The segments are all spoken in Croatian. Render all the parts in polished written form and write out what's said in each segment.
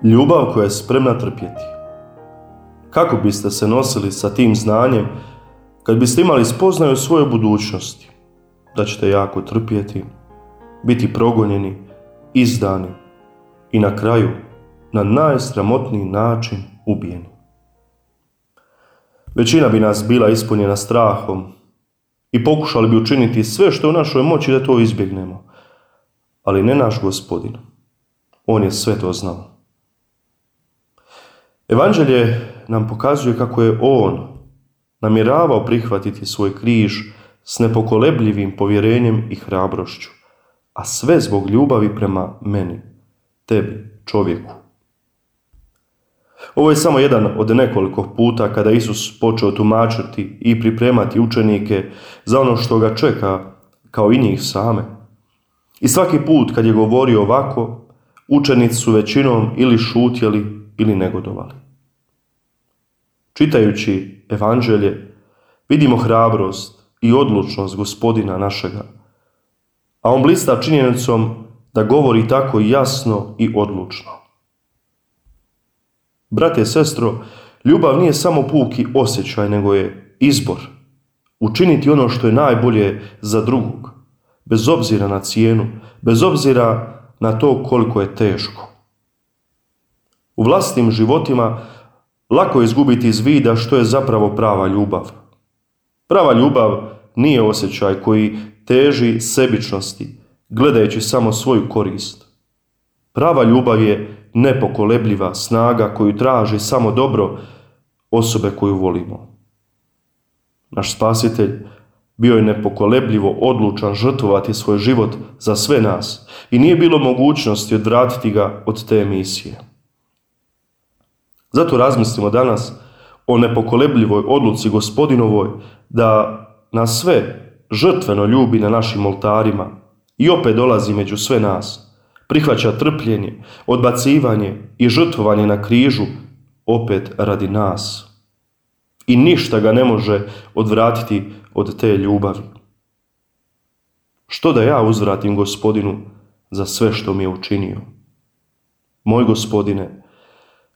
Ljubav koja je spremna trpjeti. Kako biste se nosili sa tim znanjem kad biste imali spoznaju svojoj budućnosti? Da ćete jako trpjeti, biti progonjeni, izdani i na kraju na najsramotniji način ubijeni. Većina bi nas bila ispunjena strahom i pokušali bi učiniti sve što je u našoj moći da to izbjegnemo. Ali ne naš Gospodin. On je sve to znao. Evanđelje nam pokazuje kako je On namjeravao prihvatiti svoj križ s nepokolebljivim povjerenjem i hrabrošću, a sve zbog ljubavi prema meni, tebi, čovjeku. Ovo je samo jedan od nekoliko puta kada Isus počeo tumačiti i pripremati učenike za ono što ga čeka, kao i njih same. I svaki put kad je govorio ovako, učenici su većinom ili šutjeli ili negodovali. Čitajući Evanđelje, vidimo hrabrost i odlučnost Gospodina našega, a on blista činjenicom da govori tako jasno i odlučno. Brate i sestro, ljubav nije samo puki osjećaj, nego je izbor. Učiniti ono što je najbolje za drugog, bez obzira na cijenu, bez obzira na to koliko je teško. U vlastitim životima lako je izgubiti iz vida što je zapravo prava ljubav. Prava ljubav nije osjećaj koji teži sebičnosti, gledajući samo svoju korist. Prava ljubav je nepokolebljiva snaga koju traži samo dobro osobe koju volimo. Naš Spasitelj bio je nepokolebljivo odlučan žrtvovati svoj život za sve nas i nije bilo mogućnosti odvratiti ga od te misije. Zato razmislimo danas o nepokolebljivoj odluci Gospodinovoj da nas sve žrtveno ljubi na našim oltarima i opet dolazi među sve nas, prihvaća trpljenje, odbacivanje i žrtvovanje na križu opet radi nas. I ništa ga ne može odvratiti od te ljubavi. Što da ja uzvratim Gospodinu za sve što mi je učinio? Moj Gospodine,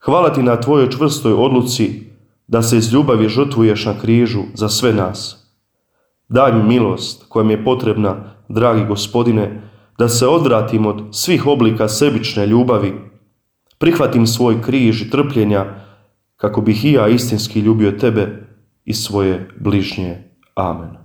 hvala ti na tvojoj čvrstoj odluci da se iz ljubavi žrtvuješ na križu za sve nas. Daj mi milost koja mi je potrebna, dragi Gospodine, da se odvratim od svih oblika sebične ljubavi, prihvatim svoj križ i trpljenja kako bih i ja istinski ljubio tebe i svoje bližnje. Amen.